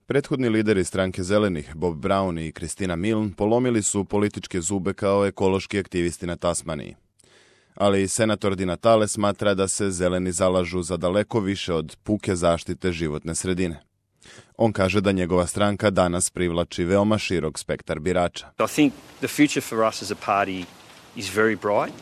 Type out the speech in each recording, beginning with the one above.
Prethodni lideri stranke Zelenih, Bob Brown i Christina Milne, polomili su političke zube kao ekološki aktivisti na Tasmaniji. Ali senator Di Natale smatra da se Zeleni zalažu za daleko više od puke zaštite životne sredine. On kaže da njegova stranka danas privlači veoma širok spektar birača. I think the future for us as a party is very bright.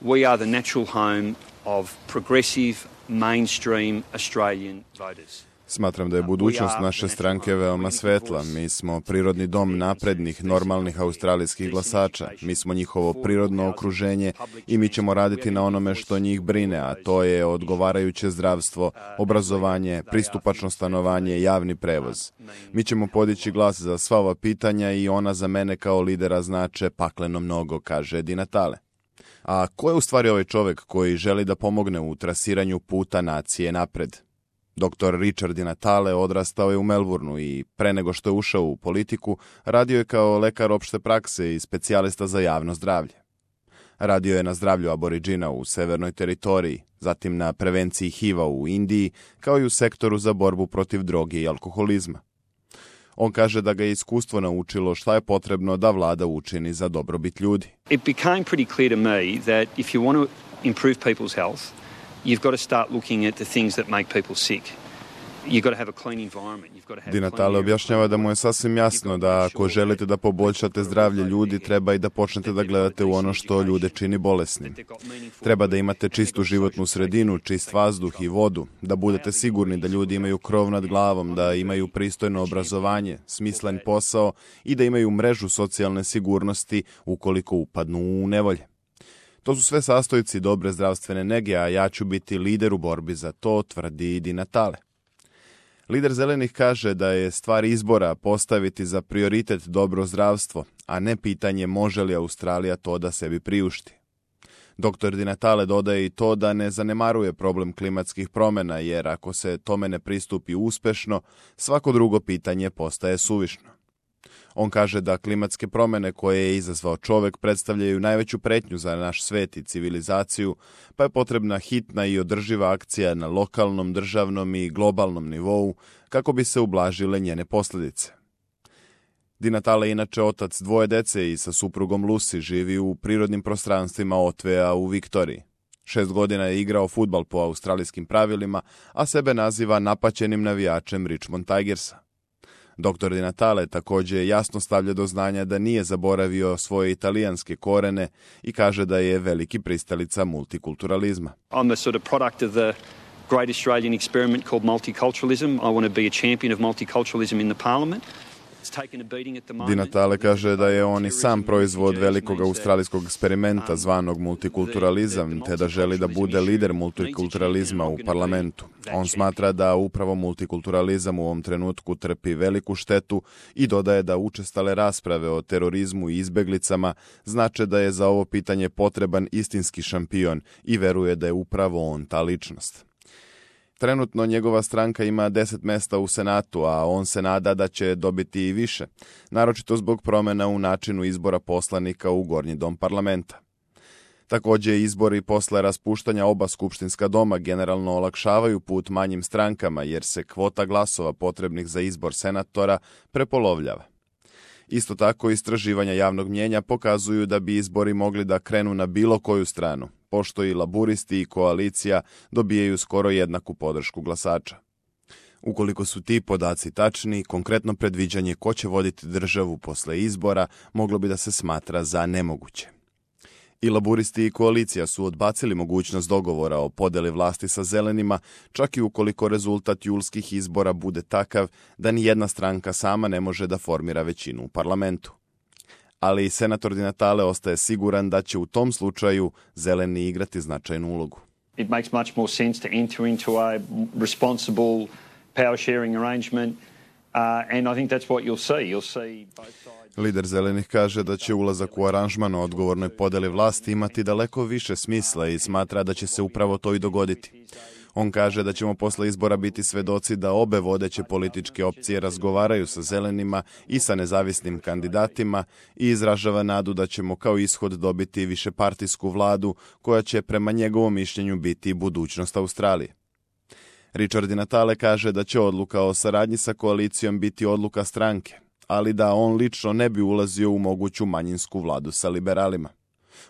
We are the natural home of progressive, mainstream Australian voters. Smatram da je budućnost naše stranke veoma svetla. Mi smo prirodni dom naprednih, normalnih australijskih glasača. Mi smo njihovo prirodno okruženje i mi ćemo raditi na onome što njih brine, a to je odgovarajuće zdravstvo, obrazovanje, pristupačno stanovanje, javni prevoz. Mi ćemo podići glas za sva ova pitanja i ona za mene kao lidera znače pakleno mnogo, kaže Di Natale. A ko je u stvari ovaj čovjek koji želi da pomogne u trasiranju puta nacije napred? Dr. Richard Di Natale odrastao je u Melbourneu i pre nego što je ušao u politiku, radio je kao lekar opšte prakse i specijalista za javno zdravlje. Radio je na zdravlju aboriđina u Severnoj teritoriji, zatim na prevenciji HIV-a u Indiji, kao i u sektoru za borbu protiv droge i alkoholizma. On kaže da ga je iskustvo naučilo šta je potrebno da vlada učini za dobrobit ljudi. It became pretty clear to me that if you want to improve people's health, you've got to start looking at the things that make people sick. You've got to have a clean environment. You've got to have Di Natale objašnjava da mu je sasvim jasno da ako želite da poboljšate zdravlje ljudi, treba i da počnete da gledate u ono što ljude čini bolesnim. Treba da imate čistu životnu sredinu, čist vazduh i vodu, da budete sigurni da ljudi imaju krov nad glavom, da imaju pristojno obrazovanje, smislen posao i da imaju mrežu socijalne sigurnosti ukoliko upadnu u nevolje. To su sve sastojci dobre zdravstvene nege, a ja ću biti lider u borbi za to, tvrdi Di Natale. Lider Zelenih kaže da je stvar izbora postaviti za prioritet dobro zdravstvo, a ne pitanje može li Australija to da sebi priušti. Dr. Di Natale dodaje i to da ne zanemaruje problem klimatskih promjena, jer ako se tome ne pristupi uspešno, svako drugo pitanje postaje suvišno. On kaže da klimatske promjene koje je izazvao čovjek predstavljaju najveću pretnju za naš svet i civilizaciju, pa je potrebna hitna i održiva akcija na lokalnom, državnom i globalnom nivou kako bi se ublažile njene posljedice. Di Natale je inače otac dvoje dece i sa suprugom Lucy živi u prirodnim prostranstvima Otvea u Viktoriji. 6 godina je igrao fudbal po australijskim pravilima, a sebe naziva napaćenim navijačem Richmond Tigersa. Dr. Di Natale također jasno stavlja do znanja da nije zaboravio svoje italijanske korene i kaže da je veliki pristalica multikulturalizma. I'm a sort of product of the great Australian experiment called multiculturalism. I want to be a champion of multiculturalism in the parliament. Di Natale kaže da je on i sam proizvod velikog australijskog eksperimenta zvanog multikulturalizam, te da želi da bude lider multikulturalizma u parlamentu. On smatra da upravo multikulturalizam u ovom trenutku trpi veliku štetu i dodaje da učestale rasprave o terorizmu i izbeglicama znače da je za ovo pitanje potreban istinski šampion i veruje da je upravo on ta ličnost. Trenutno njegova stranka ima 10 mesta u Senatu, a on se nada da će dobiti i više, naročito zbog promjena u načinu izbora poslanika u Gornji dom parlamenta. Također izbori posle raspuštanja oba skupštinska doma generalno olakšavaju put manjim strankama jer se kvota glasova potrebnih za izbor senatora prepolovljava. Isto tako istraživanja javnog mnjenja pokazuju da bi izbori mogli da krenu na bilo koju stranu, pošto i laburisti i koalicija dobijaju skoro jednaku podršku glasača. Ukoliko su ti podaci tačni, konkretno predviđanje ko će voditi državu posle izbora moglo bi da se smatra za nemoguće. I laburisti i koalicija su odbacili mogućnost dogovora o podeli vlasti sa zelenima, čak i ukoliko rezultat julskih izbora bude takav da ni jedna stranka sama ne može da formira većinu u parlamentu. Ali senator Di Natale ostaje siguran da će u tom slučaju zeleni igrati značajnu ulogu. It makes much more sense to enter into a responsible power sharing arrangement and I think that's what you'll see. You'll see both sides. Lider zelenih kaže da će ulazak u aranžman o odgovornoj podeli vlasti imati daleko više smisla i smatra da će se upravo to i dogoditi. On kaže da ćemo posle izbora biti svedoci da obe vodeće političke opcije razgovaraju sa zelenima i sa nezavisnim kandidatima i izražava nadu da ćemo kao ishod dobiti višepartijsku vladu koja će prema njegovom mišljenju biti budućnost Australije. Richard Di Natale kaže da će odluka o saradnji sa koalicijom biti odluka stranke, ali da on lično ne bi ulazio u moguću manjinsku vladu sa liberalima.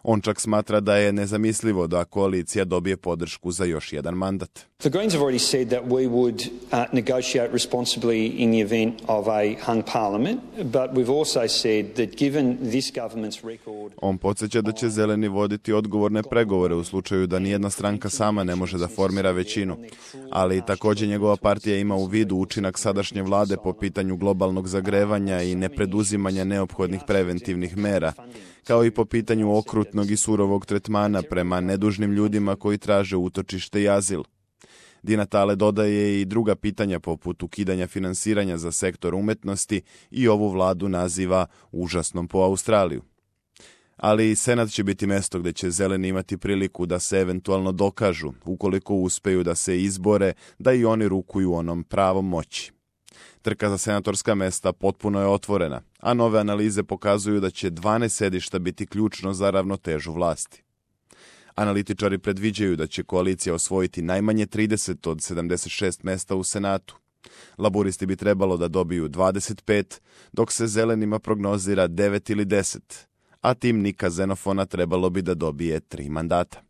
On čak smatra da je nezamislivo da koalicija dobije podršku za još jedan mandat. The Greens have already said that we would negotiate responsibly in the event of a hung parliament, but we've also said that given this government's record... On podsjeća da će Zeleni voditi odgovorne pregovore u slučaju da nijedna stranka sama ne može da formira većinu, ali također njegova partija ima u vidu učinak sadašnje vlade po pitanju globalnog zagrevanja i nepreduzimanja neophodnih preventivnih mera, kao i po pitanju okrutnog i surovog tretmana prema nedužnim ljudima koji traže utočište i azil. Di Natale dodaje i druga pitanja poput ukidanja finansiranja za sektor umetnosti i ovu vladu naziva užasnom po Australiju. Ali Senat će biti mjesto gdje će Zeleni imati priliku da se eventualno dokažu, ukoliko uspeju da se izbore, da i oni rukuju onom pravom moći. Trka za senatorska mesta potpuno je otvorena, a nove analize pokazuju da će 12 sedišta biti ključno za ravnotežu vlasti. Analitičari predviđaju da će koalicija osvojiti najmanje 30 od 76 mesta u Senatu. Laburisti bi trebalo da dobiju 25, dok se Zelenima prognozira 9 ili 10, a tim Nika Xenofona trebalo bi da dobije 3 mandata.